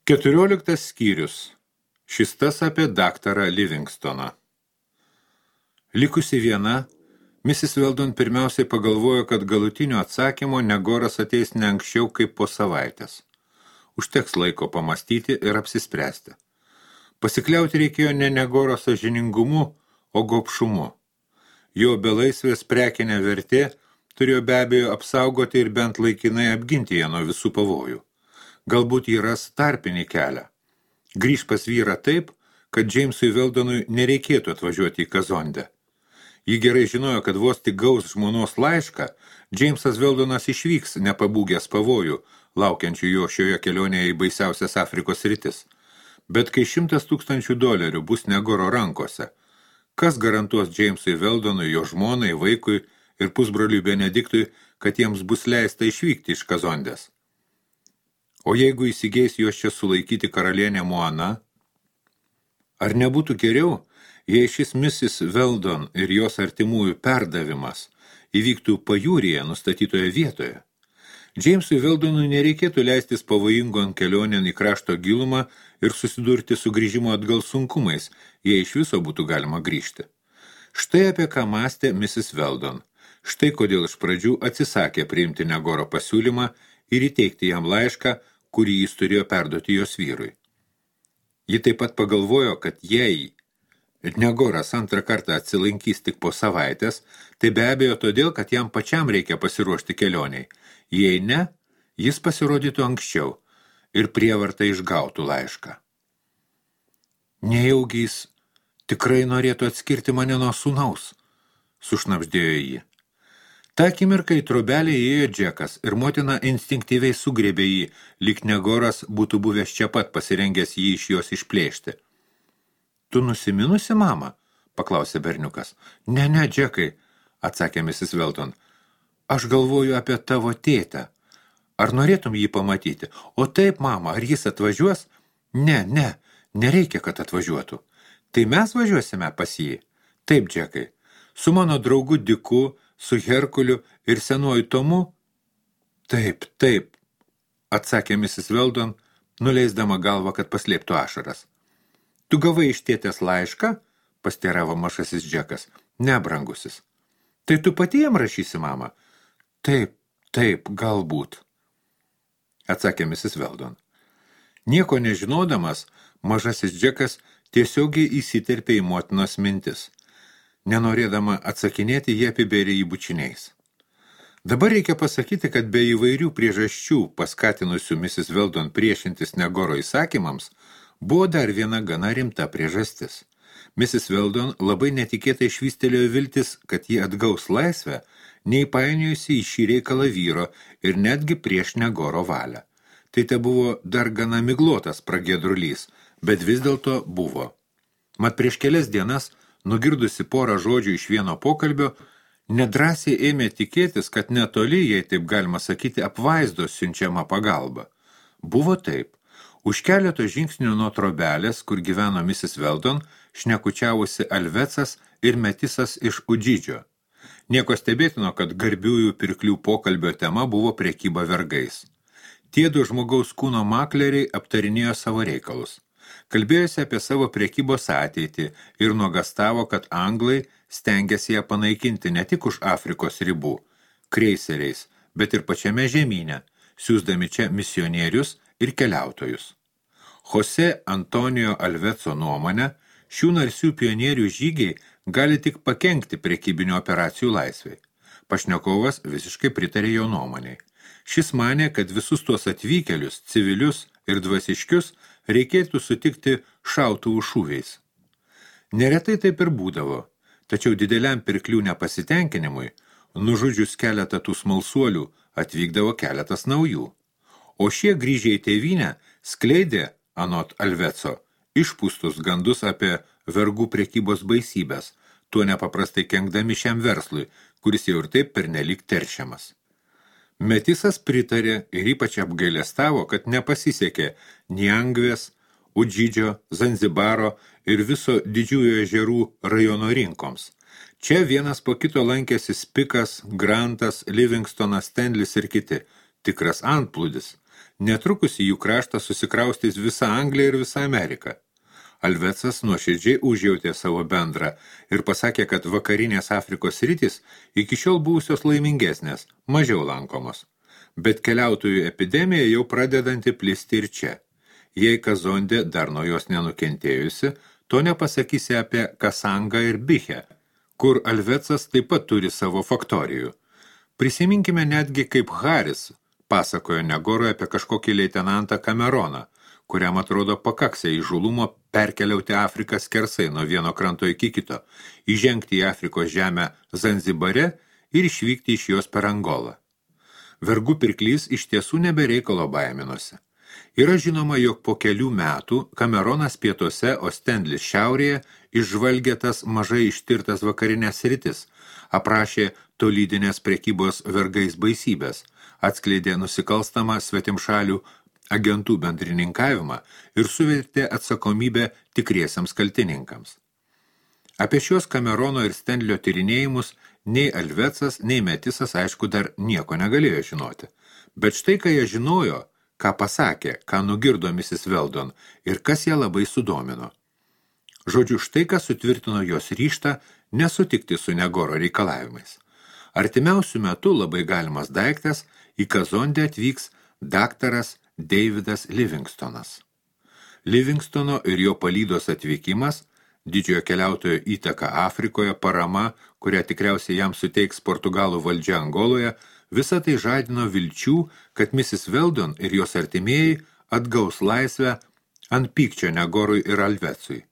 14 skyrius. Šis tas apie daktarą Livingstoną. Likusi viena, Mrs. Weldon pirmiausiai pagalvojo, kad galutinio atsakymo Negoras ateis ne anksčiau kaip po savaitės. Užteks laiko pamastyti ir apsispręsti. Pasikliauti reikėjo ne Negoro sąžiningumu, o gobšumu. Jo belaisvės prekinė vertė turėjo be abejo apsaugoti ir bent laikinai apginti ją nuo visų pavojų. Galbūt jį ras tarpinį kelią. Grįž pas vyrą taip, kad Jamesui Weldonui nereikėtų atvažiuoti į Kazondę. Ji gerai žinojo, kad vos tik gaus žmonos laišką, Jamesas Weldonas išvyks nepabūgęs pavojų, laukiančių jo šioje kelionėje į baisiausias Afrikos rytis. Bet kai $100,000 bus Negoro rankose, kas garantuos Jamesui Weldonui, jo žmonai, vaikui ir pusbroliui Benediktui, kad jiems bus leista išvykti iš Kazondės? O jeigu įsigeis juos čia sulaikyti karalienė Moana? Ar nebūtų geriau, jei šis Mrs. Weldon ir jos artimųjų perdavimas įvyktų pajūryje nustatytoje vietoje? Jamesui Weldonui nereikėtų leistis pavojingon kelionėn į krašto gilumą ir susidurti su grįžimo atgal sunkumais, jei iš viso būtų galima grįžti. Štai apie ką mąstė Mrs. Weldon. Štai kodėl iš pradžių atsisakė priimti Negoro pasiūlymą ir įteikti jam laišką, kurį jis turėjo perduoti jos vyrui. Ji taip pat pagalvojo, kad jei Negoras antrą kartą atsilankys tik po savaitės, tai be abejo todėl, kad jam pačiam reikia pasiruošti kelioniai. Jei ne, jis pasirodytų anksčiau ir prievartą išgautų laišką. Nejaugi jis tikrai norėtų atskirti mane nuo sūnaus, sušnabždėjo ji. Ta akimirka į trobelę įėjo Džekas ir motina instinktyviai sugriebė jį, lyg Negoras būtų buvęs čia pat pasirengęs jį iš jos išplėšti. Tu nusiminusi, mama? Paklausė berniukas. Ne, Džekai, atsakė Mrs. Weldon. Aš galvoju apie tavo tėtę. Ar norėtum jį pamatyti? O taip, mama, ar jis atvažiuos? Ne, nereikia, kad atvažiuotų. Tai mes važiuosime pas jį? Taip, Džekai. Su mano draugu Diku, su Herkuliu ir senuoju Tomu? Taip, atsakė Mrs. Weldon, nuleisdama galvą, kad paslėptų ašaras. Tu gavai iš tėtės laišką? Pasteiravo mažasis Džekas. Ne, brangusis. Tai tu pati jam rašysi, mama? Taip, galbūt, atsakė Mrs. Weldon. Nieko nežinodamas, mažasis Džekas tiesiogiai įsiterpė į motinos mintis. Nenorėdama atsakinėti, jie apibėrė jį bučiniais. Dabar reikia pasakyti, kad be įvairių priežasčių paskatinusių Mrs. Weldon priešintis Negoro įsakymams, buvo dar viena gana rimta priežastis. Mrs. Weldon labai netikėtai švystelėjo viltis, kad ji atgaus laisvę, neįpainiojusi į šį reikalą vyro ir netgi prieš Negoro valią. Tai te buvo dar gana miglotas pragiedrulys, bet vis dėlto buvo. Mat prieš kelias dienas, nugirdusi porą žodžių iš vieno pokalbio, nedrąsiai ėmė tikėtis, kad netoli, jei taip galima sakyti, apvaizdos siunčiama pagalba. Buvo taip. Už keleto žingsnių nuo trobelės, kur gyveno Mrs. Weldon, šnekučiavusi Alvecas ir Metisas iš Udžidžio. Nieko stebėtino, kad garbiųjų pirklių pokalbio tema buvo prekyba vergais. Tie du žmogaus kūno makleriai aptarinėjo savo reikalus. Kalbėjosi apie savo prekybos ateitį ir nuogastavo, kad anglai stengiasi ją panaikinti ne tik už Afrikos ribų, kreiseriais, bet ir pačiame žemyne, siųsdami čia misionierius ir keliautojus. Jose Antonijo Alveco nuomonė, šių narsių pionierių žygiai gali tik pakenkti prekybinio operacijų laisvei. Pašnekovas visiškai pritarė jo nuomonei. Šis manė, kad visus tuos atvykėlius, civilius ir dvasiškius reikėtų sutikti šautuvų šūviais. Neretai taip ir būdavo, tačiau dideliam pirklių nepasitenkinimui, nužudžius keletą tų smalsuolių, atvykdavo keletas naujų. O šie grįžę į tėvynę skleidė, anot Alveco, išpūstus gandus apie vergų prekybos baisybės, tuo nepaprastai kenkdami šiam verslui, kuris jau ir taip pernelyg teršiamas. Metisas pritarė ir ypač apgailestavo, kad nepasisekė Niangvės, Udžidžio, Zanzibaro ir viso didžiųjų ežerų rajono rinkoms. Čia vienas po kito lankėsi Spikas, Grantas, Livingstonas, Stenlis ir kiti. Tikras antplūdis. Netrukus į jų kraštą susikraustys visa Anglija ir visa Amerika. Alvecas nuoširdžiai užjautė savo bendrą ir pasakė, kad vakarinės Afrikos sritys iki šiol buvusios laimingesnės, mažiau lankomos. Bet keliautojų epidemija jau pradedanti plisti ir čia. Jei Kazondė dar nuo jos nenukentėjusi, to nepasakysi apie Kasangą ir Bichę, kur Alvecas taip pat turi savo faktorijų. Prisiminkime netgi, kaip Haris pasakojo Negoroje apie kažkokį leitenantą Kameroną, kuriam atrodo pakaksė įžulumo perkeliauti Afriką skersai nuo vieno kranto iki kito, įžengti į Afrikos žemę Zanzibare ir išvykti iš jos per Angolą. Vergų pirklys iš tiesų nebereikalo baiminosi. Yra žinoma, jog po kelių metų Kameronas pietuose, o Stenlis šiaurėje išžvalgė tas mažai ištirtas vakarinės sritis, aprašė tolydinės prekybos vergais baisybės, atskleidė nusikalstamą svetimšalių agentų bendrininkavimą ir suvertė atsakomybę tikriesiams kaltininkams. Apie šios Kamerono ir Stenlio tyrinėjimus nei Alvecas, nei Metisas, aišku, dar nieko negalėjo žinoti. Bet štai, ką jie žinojo, ką pasakė, ką nugirdo Mrs. Weldon ir kas ją labai sudomino. Žodžiu, štai, kas sutvirtino jos ryžtą nesutikti su Negoro reikalavimais. Artimiausių metų labai galimas daiktas į Kazondę atvyks daktaras Davidas Livingstonas. Livingstono ir jo palydos atvykimas, didžiojo keliautojo įtaka Afrikoje, parama, kurią tikriausiai jam suteiks Portugalų valdžia Angoloje, visą tai žadino vilčių, kad Mrs. Weldon ir jos artimieji atgaus laisvę ant pykčio Negorui ir Alvecui.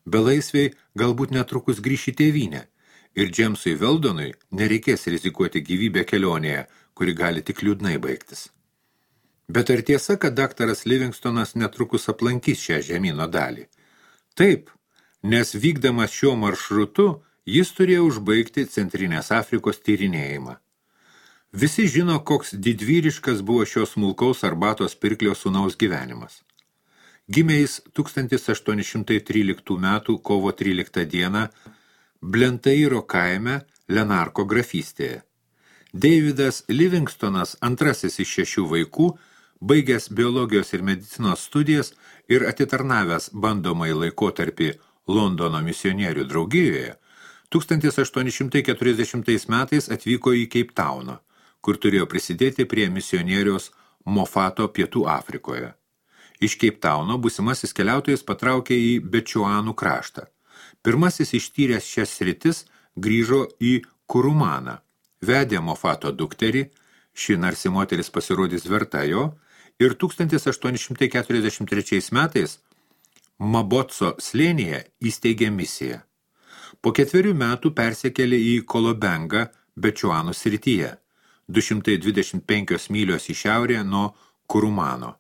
Belaisviai galbūt netrukus grįš į tėvynę ir Džemsui Weldonui nereikės rizikuoti gyvybę kelionėje, kuri gali tik liūdnai baigtis. Bet ar tiesa, kad daktaras Livingstonas netrukus aplankys šią žemyno dalį? Taip, nes vykdamas šiuo maršrutu jis turėjo užbaigti Centrinės Afrikos tyrinėjimą. Visi žino, koks didvyriškas buvo šios smulkaus arbatos pirklio sūnaus gyvenimas. Gimė jis 1813 metų kovo 13 dieną Blentairo kaime Lenarko grafystėje. Davidas Livingstonas, antrasis iš 6 vaikų, baigęs biologijos ir medicinos studijas ir atitarnavęs bandomąjį laikotarpį Londono misionierių draugijoje, 1840 metais atvyko į Keiptauną, kur turėjo prisidėti prie misionieriaus Mofato Pietų Afrikoje. Iš Keiptauno būsimasis keliautojas patraukė į Bečuanų kraštą. Pirmasis ištyręs šias sritis grįžo į Kurumaną, vedė Mofato dukterį, ši narsi moteris pasirodys verta jo, ir 1843 metais Mabotso slėnyje įsteigė misiją. Po 4 metų persikėlė į Kolobengą Bečuanų srityje, 225 mylios į šiaurę nuo Kurumano.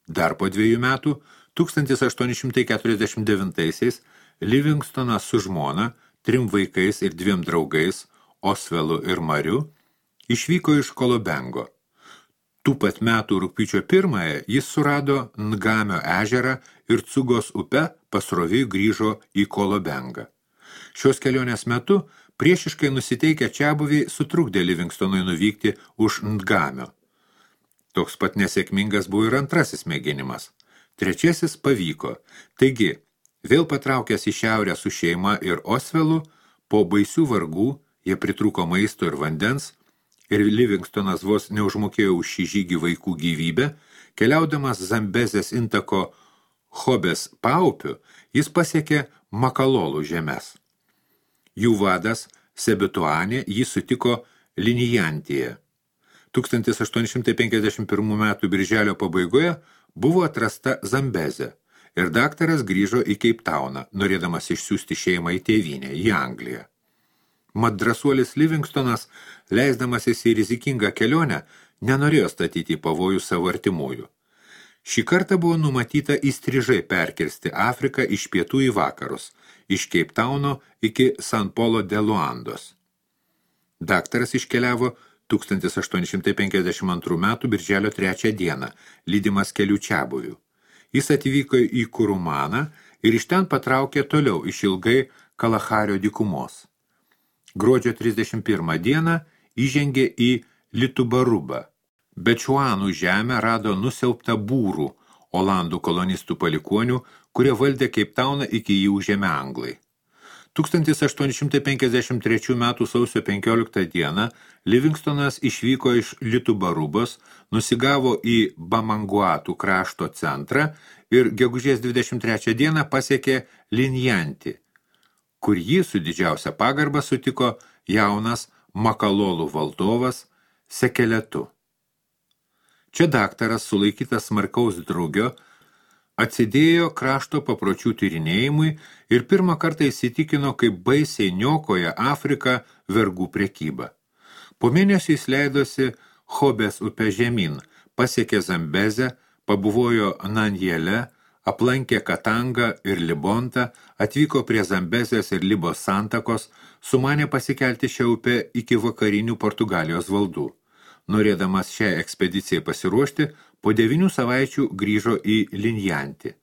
Dar po 2 metų, 1849-aisiais, Livingstonas su žmona, 3 vaikais ir 2 draugais, Osvelu ir Mariu, išvyko iš Kolobengo. Tų pat metų rugpjūčio 1 jis surado Ngamio ežerą ir Cugos upe pasroviui grįžo į Kolobengą. Šios kelionės metu priešiškai nusiteikę čiabuviai sutrukdė Livingstonui nuvykti už Ngamio. Toks pat nesėkmingas buvo ir antrasis mėginimas. Trečiasis pavyko. Taigi, vėl patraukęs į šiaurę su šeima ir Osvelu, po baisių vargų jie pritrūko maisto ir vandens, ir Livingstonas vos neužmokėjo už šį žygį vaikų gyvybę, keliaudamas Zambezės intako Hobės paupiu, jis pasiekė Makalolų žemes. Jų vadas Sebituanė jį sutiko Linijantyje. 1851 metų birželio pabaigoje buvo atrasta Zambezė ir daktaras grįžo į Keiptauną, norėdamas išsiųsti šeimą į tėvynę, į Angliją. Mat drąsuolis Livingstonas, leisdamasis į rizikingą kelionę, nenorėjo statyti į pavojų savo artimųjų. Šį kartą buvo numatyta įstrižai perkirsti Afriką iš pietų į vakarus, iš Keiptauno iki San Polo de Luandos. Daktaras iškeliavo 1852 metų birželio 3 dieną, lydimas kelių čiabuvių. Jis atvyko į Kurumaną ir iš ten patraukė toliau išilgai Kalahario dykumos. Gruodžio 31 dieną įžengė į Litubarubą, Bečuanų žemę rado nusiaubtą būrų, Olandų kolonistų palikonių, kurie valdė Keiptauną iki jį užėmė anglai. 1853 m. sausio 15 dieną Livingstonas išvyko iš Litubarubos, nusigavo į Bamanguatų krašto centrą ir gegužės 23 dieną pasiekė Linjantį, kur jį su didžiausia pagarba sutiko jaunas Makalolų valdovas Sekeletu. Čia daktaras, sulaikytas smarkaus drugio, atsidėjo krašto papročių tyrinėjimui ir pirmą kartą įsitikino, kaip baisiai niokoja Afriką vergų prekyba. Po mėnesio jis leidosi Hobės upę žemyn, pasiekė Zambezę, pabuvojo Nanjele, aplankė Katangą ir Libontą, atvyko prie Zambezės ir Libos santakos, sumanė pasikelti šią upę iki vakarinių Portugalijos valdų. Norėdamas šią ekspedicijai pasiruošti, po 9 savaičių grįžo į Linjantį.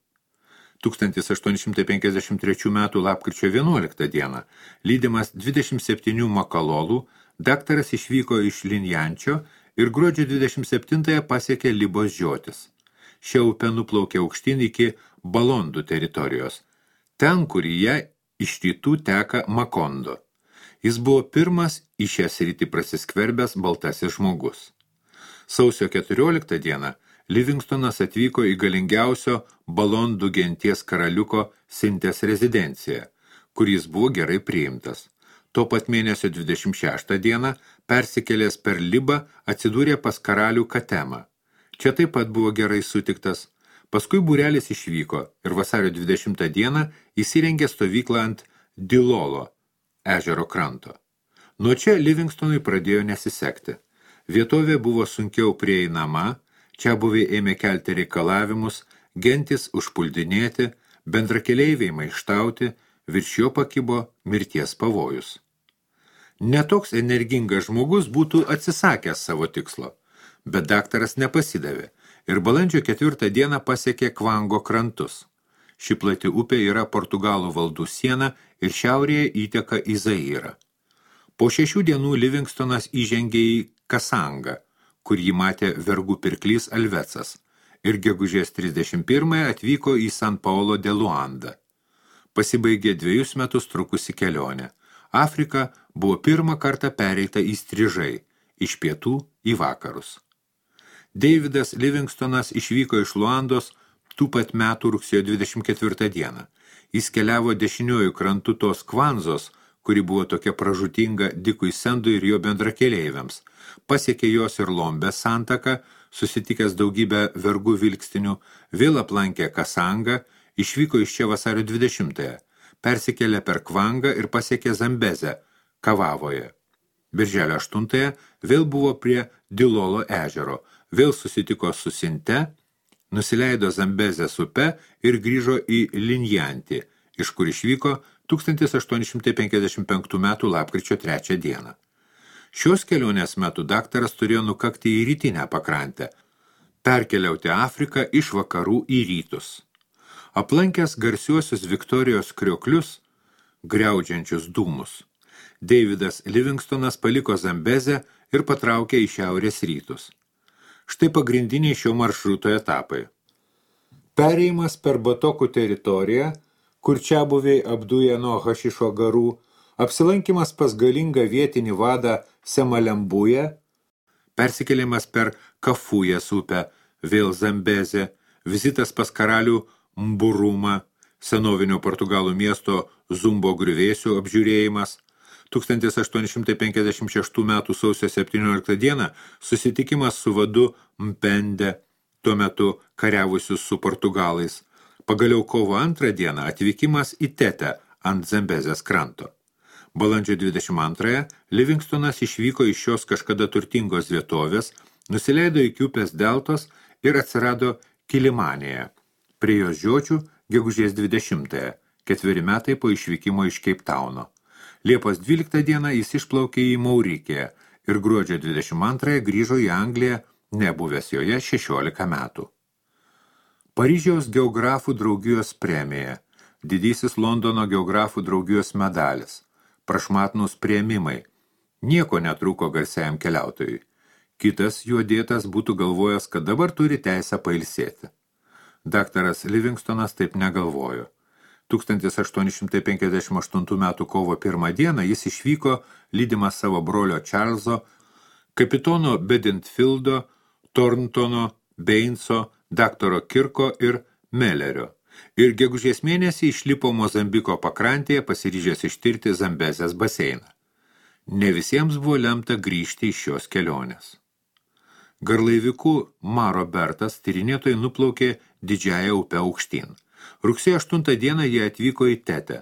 1853 m. lapkričio 11 dieną, lydimas 27 makalolų, daktaras išvyko iš Linjančio ir gruodžio 27 pasiekė Libos žiotis. Šia upė nuplaukė aukštyn iki Balondų teritorijos, ten, kur jie iš rytų teka Makondo. Jis buvo pirmas į šią sritį prasiskverbęs baltasis žmogus. Sausio 14 dieną Livingstonas atvyko į galingiausio Balondų genties karaliuko Sintės rezidenciją, kur jis buvo gerai priimtas. Tuo pat mėnesio 26 dieną persikėlęs per Libą atsidūrė pas karalių Katemą. Čia taip pat buvo gerai sutiktas. Paskui būrelis išvyko ir vasario 20 dieną įsirengė stovyklą ant Dilolo ežero kranto. Nuo čia Livingstonui pradėjo nesisekti. Vietovė buvo sunkiau prieinama, čia buviai ėmė kelti reikalavimus, gentis užpuldinėti, bendrakeleiviai maištauti, virš jo pakibo mirties pavojus. Netoks energingas žmogus būtų atsisakęs savo tikslo, bet daktaras nepasidavė ir balandžio 4 dieną pasiekė Kvango krantus. Ši plati upė yra Portugalų valdų siena ir šiaurėje įteka į Zairą. Po 6 dienų Livingstonas įžengė į Kasangą, kur jį matė vergų pirklys Alvecas, ir gegužės 31 atvyko į San Paulo de Luanda. Pasibaigė 2 metus trukusi kelionė. Afrika buvo pirmą kartą pereita įstrižai, iš pietų į vakarus. Davidas Livingstonas išvyko iš Luandos tų pat metų rugsėjo 24 dieną. Jis keliavo dešiniuoju krantu tos Kvanzos, kuri buvo tokia pražūtinga Dikui Sendui ir jo bendrakeleiviams. Pasiekė jos ir Lombės santaką, susitikęs daugybę vergų vilkstinių, vėl aplankė Kasangą, išvyko iš čia vasario 20-ąją, persikėlė per Kvangą ir pasiekė Zambezę, Kavavoje. Birželio 8-ąją vėl buvo prie Dilolo ežero, vėl susitiko su Sinte, nusileido Zambezės upe ir grįžo į Linjantį, iš kur išvyko 1855 m. lapkričio 3 dieną. Šios kelionės metu daktaras turėjo nukakti į rytinę pakrantę, perkeliauti Afriką iš vakarų į rytus. Aplankęs garsiuosius Viktorijos krioklius, griaudžiančius dūmus, Davidas Livingstonas paliko Zambezę ir patraukė į šiaurės rytus. Štai pagrindiniai šio maršruto etapai. Perėjimas per Batokų teritoriją, kur čia buviai apduja nuo hašišo garų, apsilankimas pas galingą vietinį vadą Semalembują, persikėlimas per Kafujas upę, vėl Zambezę, vizitas pas karalių Mburumą, senovinio Portugalų miesto Zumbo griuvėsių apžiūrėjimas, 1856 m. sausio 17 dieną susitikimas su vadu Mpende, tuo metu kariavusius su portugalais. Pagaliau kovo 2 dieną atvykimas į Tetę ant Zambezės kranto. Balandžio 22 Livingstonas išvyko iš šios kažkada turtingos vietovės, nusileido iki upės deltos ir atsirado Kilimanėje. Prie jos žiočių gegužės 20-ąją, 4 metai po išvykimo iš Keiptauno. Liepos 12 dieną jis išplaukė į Maurikiją ir gruodžio 22 grįžo į Angliją, nebuvęs joje 16 metų. Paryžiaus geografų draugijos premija, didysis Londono geografų draugijos medalis, prašmatnūs priėmimai. Nieko netrūko garsiajam keliautojui. Kitas juodėtas būtų galvojęs, kad dabar turi teisę pailsėti. Daktaras Livingstonas taip negalvojo. 1858 m. kovo 1 dieną jis išvyko lydimas savo brolio Čarlzo, kapitono Bedentfieldo, Thorntono, Bainso, daktaro Kirko ir Mellerio. Ir gegužės mėnesį išlipo Mozambiko pakrantėje pasiryžęs ištirti Zambezės baseiną. Ne visiems buvo lemta grįžti iš šios kelionės. Garlaiviku Maro Bertas tyrinėtojai nuplaukė didžiąją upę aukštyn. Rugsėjo 8 dieną jie atvyko į Tetę.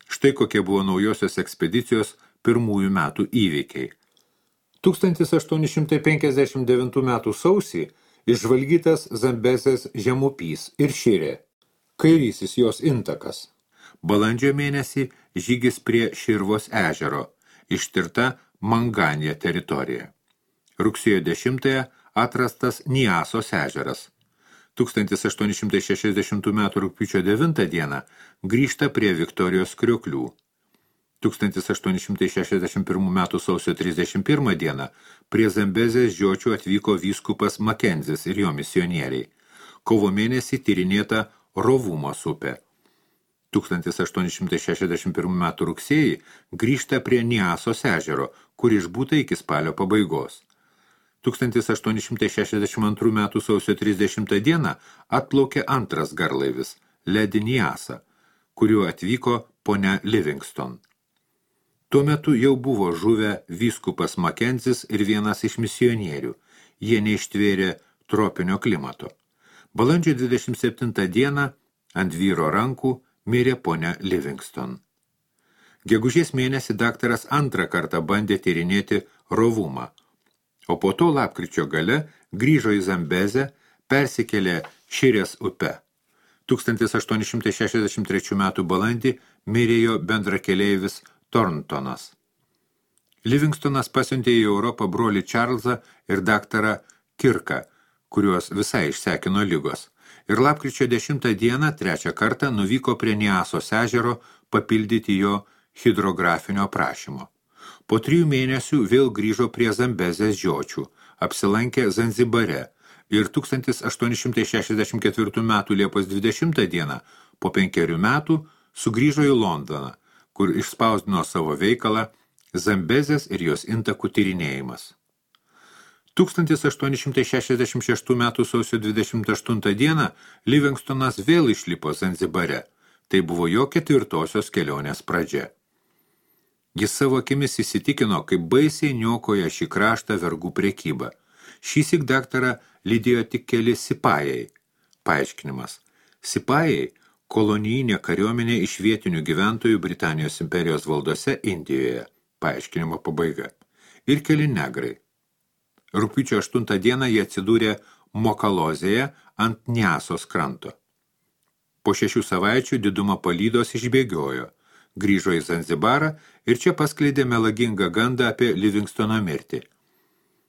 Štai kokie buvo naujosios ekspedicijos pirmųjų metų įvykiai. 1859 metų sausį išžvalgytas Zambezės žemupys ir Širė, kairysis jos intakas. Balandžio mėnesį žygis prie Širvos ežero, ištirta Manganija teritorija. Rugsėjo 10 atrastas Niasos ežeras. 1860 m. rugpjūčio 9 dieną grįžta prie Viktorijos krioklių. 1861 m. sausio 31 dieną prie Zambezės žiočių atvyko vyskupas Makenzis ir jo misionieriai. Kovo mėnesį tyrinėta Rovumos upė. 1861 m. rugsėjį grįžta prie Niasos ežero, kur išbūta iki spalio pabaigos. 1862 m. sausio 30 dieną atplaukė antras garlaivis, Lady Niasa, kuriuo atvyko ponia Livingston. Tuo metu jau buvo žuvę vyskupas Makenzis ir vienas iš misionierių. Jie neištvėrė tropinio klimato. Balandžio 27 dieną ant vyro rankų mirė ponia Livingston. Gegužės mėnesį daktaras antrą kartą bandė tyrinėti Rovumą, o po to lapkričio gale grįžo į Zambezę, persikėlė Širės upe. 1863 m. balandį mirė jo bendrakeleivis Thorntonas. Livingstonas pasiuntė į Europą brolį Čarlzą ir daktarą Kirką, kuriuos visai išsekino ligos. Ir lapkričio 10 dieną trečią kartą nuvyko prie Niasos ežero papildyti jo hidrografinio aprašymo. Po 3 mėnesių vėl grįžo prie Zambezės žiočių, apsilankė Zanzibare ir 1864 m. Liepos 20 dieną po 5 metų sugrįžo į Londoną, kur išspausdino savo veikalą Zambezės ir jos intakų tyrinėjimas. 1866 m. sausio 28 dieną Livingstonas vėl išlipo Zanzibare. Tai buvo jo 4-osios kelionės pradžia. Jis savo akimis įsitikino, kaip baisiai niokoja šį kraštą vergų prekybą. Šįsyk daktarą lydėjo tik keli sipajai. Paaiškinimas. Sipajai – kolonijinė kariuomenė iš vietinių gyventojų Britanijos imperijos valdose Indijoje. Paaiškinimo pabaiga. Ir keli negrai. Rugpjūčio 8 dieną jie atsidūrė Mokalozėje ant Niasos kranto. Po 6 savaičių didumo palydos išbėgiojo, grįžo į Zanzibarą ir čia paskleidė melagingą gandą apie Livingstono mirtį.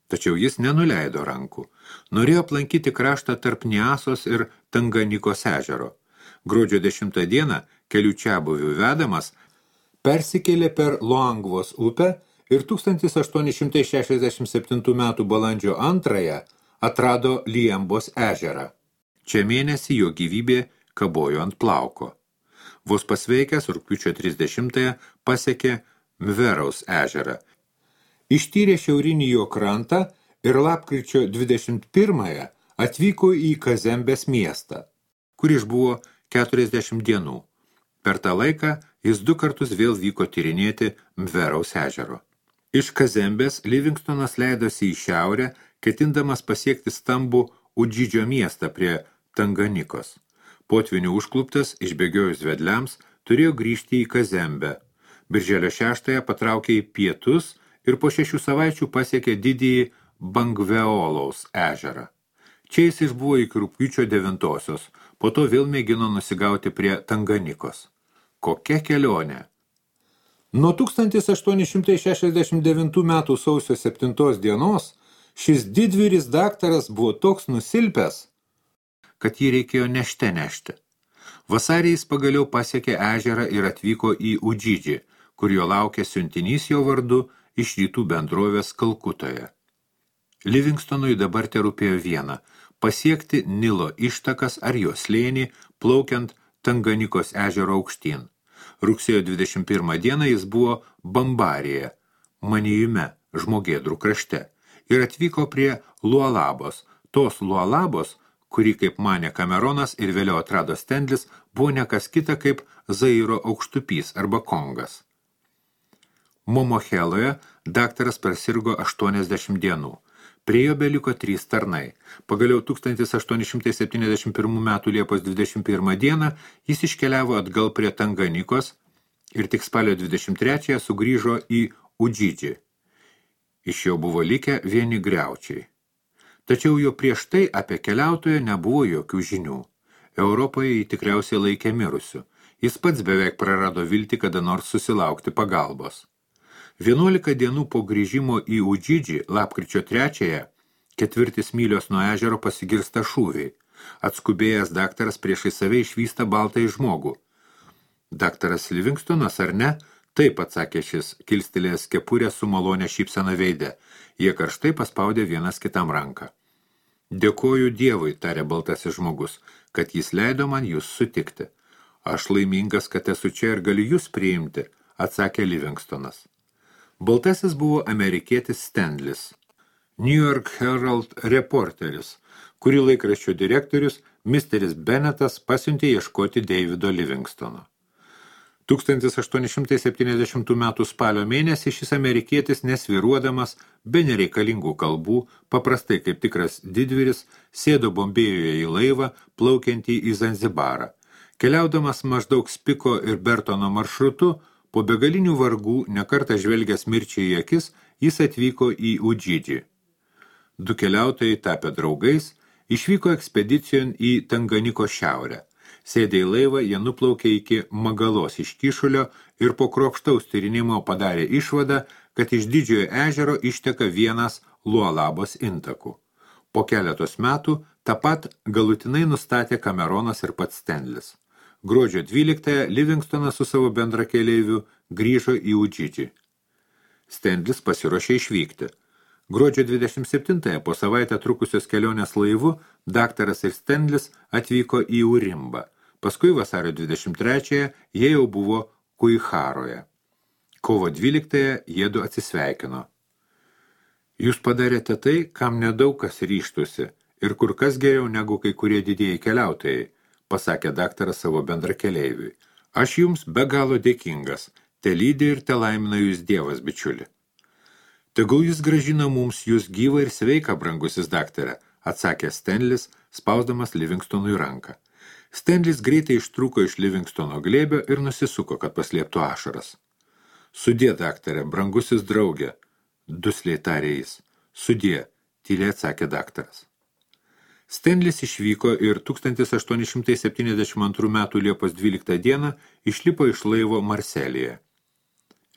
Tačiau jis nenuleido rankų. Norėjo aplankyti kraštą tarp Niasos ir Tanganikos ežero. Gruodžio 10 dieną, kelių čiabuvių vedamas, persikėlė per Luangvos upę ir 1867 m. balandžio 2 atrado Liembos ežerą. Čia mėnesį jo gyvybė kabojo ant plauko. Vos pasveikęs rugpjūčio 30 pasiekė Mveraus ežerą. Ištyrė šiaurinį jo krantą ir lapkričio 21 atvyko į Kazembės miestą, kur išbuvo 40 dienų. Per tą laiką jis 2 kartus vėl vyko tyrinėti Mveraus ežero. Iš Kazembės Livingstonas leidosi į šiaurę, ketindamas pasiekti stambų Udžidžio miestą prie Tanganikos. Potvinių užkluptas, išbėgiojus vedliams, turėjo grįžti į Kazembę. Birželio 6 patraukė į pietus ir po 6 savaičių pasiekė didįjį Bangveolaus ežerą. Čia jis išbuvo iki rugpjūčio 9, po to vėl mėgino nusigauti prie Tanganikos. Kokia kelionė! Nuo 1869 metų sausio 7 dienos šis didvyris daktaras buvo toks nusilpęs, kad jį reikėjo nešti. Vasarį jis pagaliau pasiekė ežerą ir atvyko į Udžidžį, kur jo laukė siuntinys jo vardu iš rytų bendrovės Kalkutoje. Livingstonui dabar terūpėjo viena – pasiekti Nilo ištakas ar jo slėnį, plaukiant Tanganikos ežero aukštyn. Rugsėjo 21 dieną jis buvo Bambarėje, Manijume, Žmogėdrų krašte, ir atvyko prie Lualabos. Tos Lualabos, kurį, kaip manė Kameronas ir vėliau atrado Stendlis, buvo nekas kita kaip Zairo aukštupys arba Kongas. Momocheloje daktaras persirgo 80 dienų. Prie jo beliko 3 tarnai. Pagaliau 1871 metų Liepos 21 dieną jis iškeliavo atgal prie Tanganikos ir tik spalio 23 sugrįžo į Udžidžį. Iš jo buvo likę vieni griaučiai. Tačiau jo prieš tai apie keliautoją nebuvo jokių žinių. Europoje jį tikriausiai laikė mirusiu. Jis pats beveik prarado viltį kada nors susilaukti pagalbos. 11 dienų po grįžimo į Udžidžį, lapkričio 3-ąją, 4 mylios nuo ežero pasigirsta šūviai. Atskubėjęs daktaras priešai save išvysta baltąjį žmogų. Daktaras Livingstonas ar ne? Taip, atsakė šis, kilstelėjęs kepurę su malonė šypsena veide. Jie karštai paspaudė vienas kitam ranką. Dėkoju Dievui, tarė baltasis žmogus, kad jis leido man jūs sutikti. Aš laimingas, kad esu čia ir galiu jūs priimti, atsakė Livingstonas. Baltasis buvo amerikietis Stendlis, New York Herald reporteris, kurį laikraščio direktorius misteris Bennetas pasiuntė ieškoti Davido Livingstono. 1870 metų spalio mėnesį šis amerikietis nesviruodamas, be nereikalingų kalbų, paprastai kaip tikras didvyris, sėdo Bombėjoje į laivą, plaukiantį į Zanzibarą. Keliaudamas maždaug Spiko ir Bertono maršrutu, po begalinių vargų, nekartą žvelgęs mirčiai į akis, jis atvyko į Udžidžį. 2 keliautojai tapę draugais, išvyko ekspedicijon į Tanganiko šiaurę. Sėdę į laivą, jie nuplaukė iki Magalos iš Kyšulio ir po kruopštaus tyrinimo padarė išvadą, kad iš Didžiojo ežero išteka vienas Lualabos intakų. Po keletos metų tą pat galutinai nustatė Kameronas ir pats Stendlis. Gruodžio 12 Livingstonas su savo bendrakeleiviu grįžo į Udžidžį. Stendlis pasiruošė išvykti. Gruodžio 27 po savaitę trukusios kelionės laivu daktaras ir Stendlis atvyko į Urimbą. Paskui vasario 23 jie jau buvo Kuiharoje. Kovo 12 jiedu atsisveikino. Jūs padarėte tai, kam nedaug kas ryžtųsi ir kur kas geriau negu kai kurie didieji keliautojai, pasakė daktaras savo bendrakeleiviui. Aš jums be galo dėkingas, te lydi ir te laimina jūs Dievas, bičiuli. Tegul jis grąžina mums jūs gyvą ir sveiką, brangusis daktare, atsakė Stendlis, spausdamas Livingstonui ranką. Stendlis greitai ištrūko iš Livingstono glėbio ir nusisuko, kad paslėptų ašaras. Sudie, daktare, brangusis draugė, dusliai tarė jis. Sudie, tyliai atsakė daktaras. Stendlis išvyko ir 1872 metų Liepos 12 dieną išlipo iš laivo Marselyje.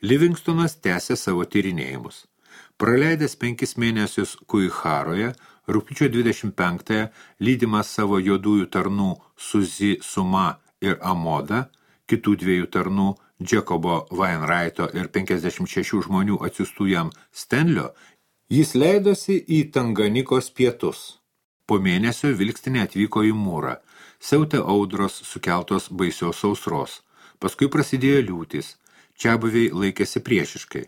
Livingstonas tęsė savo tyrinėjimus. Praleidęs 5 mėnesius Kuiharoje, rugpjūčio 25-ąją, lydimas savo juodųjų tarnų Suzi Suma ir Amoda, kitų 2 tarnų Jacobo Wainwrighto ir 56 žmonių atsiųstų jam Stenlio, jis leidosi į Tanganikos pietus. Po mėnesio vilkstinė atvyko į Mūrą, siautė audros sukeltos baisios sausros. Paskui prasidėjo liūtys, čiabuviai laikėsi priešiškai.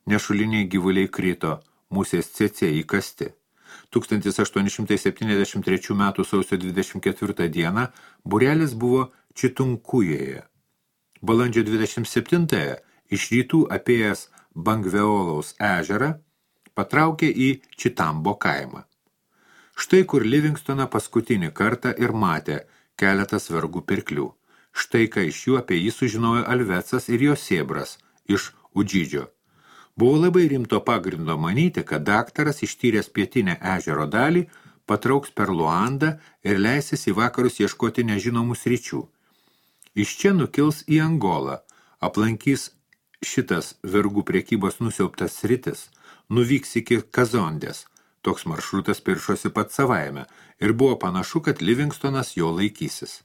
Nešuliniai gyvuliai krito, musės cėcė įkasti. 1873 m. sausio 24 dieną būrelis buvo Čitunkujėje. Balandžio 27-ąją iš rytų apėjęs Bangveolaus ežerą patraukė į Čitambo kaimą. Štai kur Livingstoną paskutinį kartą ir matė keletas vergų pirklių. Štai ką iš jų apie jį sužinojo Alvecas ir jo sėbras iš Udžidžio. Buvo labai rimto pagrindo manyti, kad daktaras ištyręs pietinę ežero dalį patrauks per Luandą ir leisis į vakarus ieškoti nežinomų sričių. Iš čia nukils į Angolą, aplankys šitas vergų prekybos nusiaubtas sritis, nuvyks iki Kazondės. Toks maršrutas piršosi pat savaime ir buvo panašu, kad Livingstonas jo laikysis.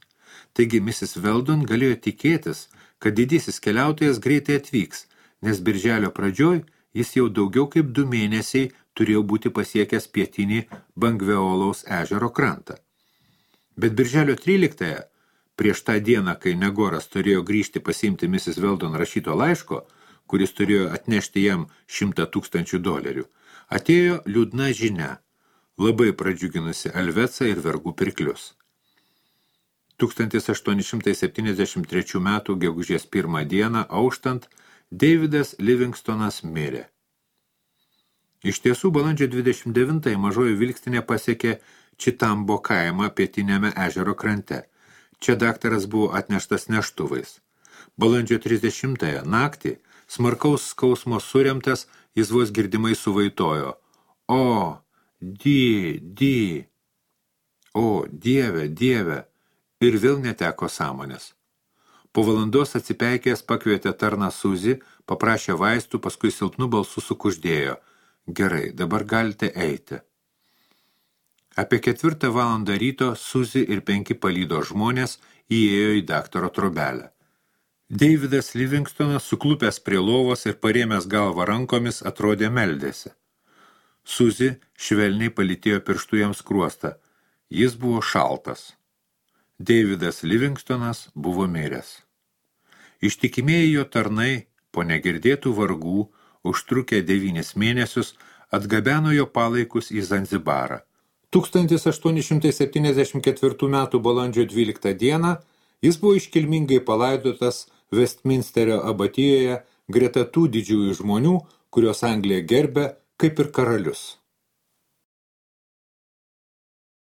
Taigi Mrs. Weldon galėjo tikėtis, kad didysis keliautojas greitai atvyks, nes birželio pradžioj jis jau daugiau kaip 2 mėnesiai turėjo būti pasiekęs pietinį Bangveolaus ežero krantą. Bet birželio 13-ąją, prieš tą dieną, kai Negoras turėjo grįžti pasiimti Mrs. Weldon rašyto laiško, kuris turėjo atnešti jam $100,000, atėjo liūdna žinia, labai pradžiuginusi Alvecą ir vergų pirklius. 1873 metų gegužės 1 dieną auštant, Davidas Livingstonas mirė. Iš tiesų, balandžio 29 mažoji vilkstinė pasiekė Čitambo kaimą pietiniame ežero krante. Čia daktaras buvo atneštas neštuvais. Balandžio 30 naktį, smarkaus skausmo suremtas, jis vos girdimai suvaitojo. O, Dieve, Dieve! Ir vėl neteko sąmonės. Po valandos atsipeikęs pakvietė tarną Suzy, paprašė vaistų, paskui silpnu balsu sukuždėjo. Gerai, dabar galite eiti. Apie 4 valandą ryto Suzy ir 5 palydo žmonės įėjo į daktaro trobelę. Davidas Livingstonas, suklupęs prie lovos ir parėmęs galvą rankomis, atrodė meldėsi. Suzy švelniai palytėjo pirštu jam skruostą. Jis buvo šaltas. Davidas Livingstonas buvo miręs. Ištikimieji jo tarnai, po negirdėtų vargų, užtrukę 9 mėnesius, atgabeno jo palaikus į Zanzibarą. 1874 metų balandžio 12 dieną jis buvo iškilmingai palaidotas Westminsterio abatijoje greta tų didžiųjų žmonių, kurios Anglija gerbė kaip ir karalius.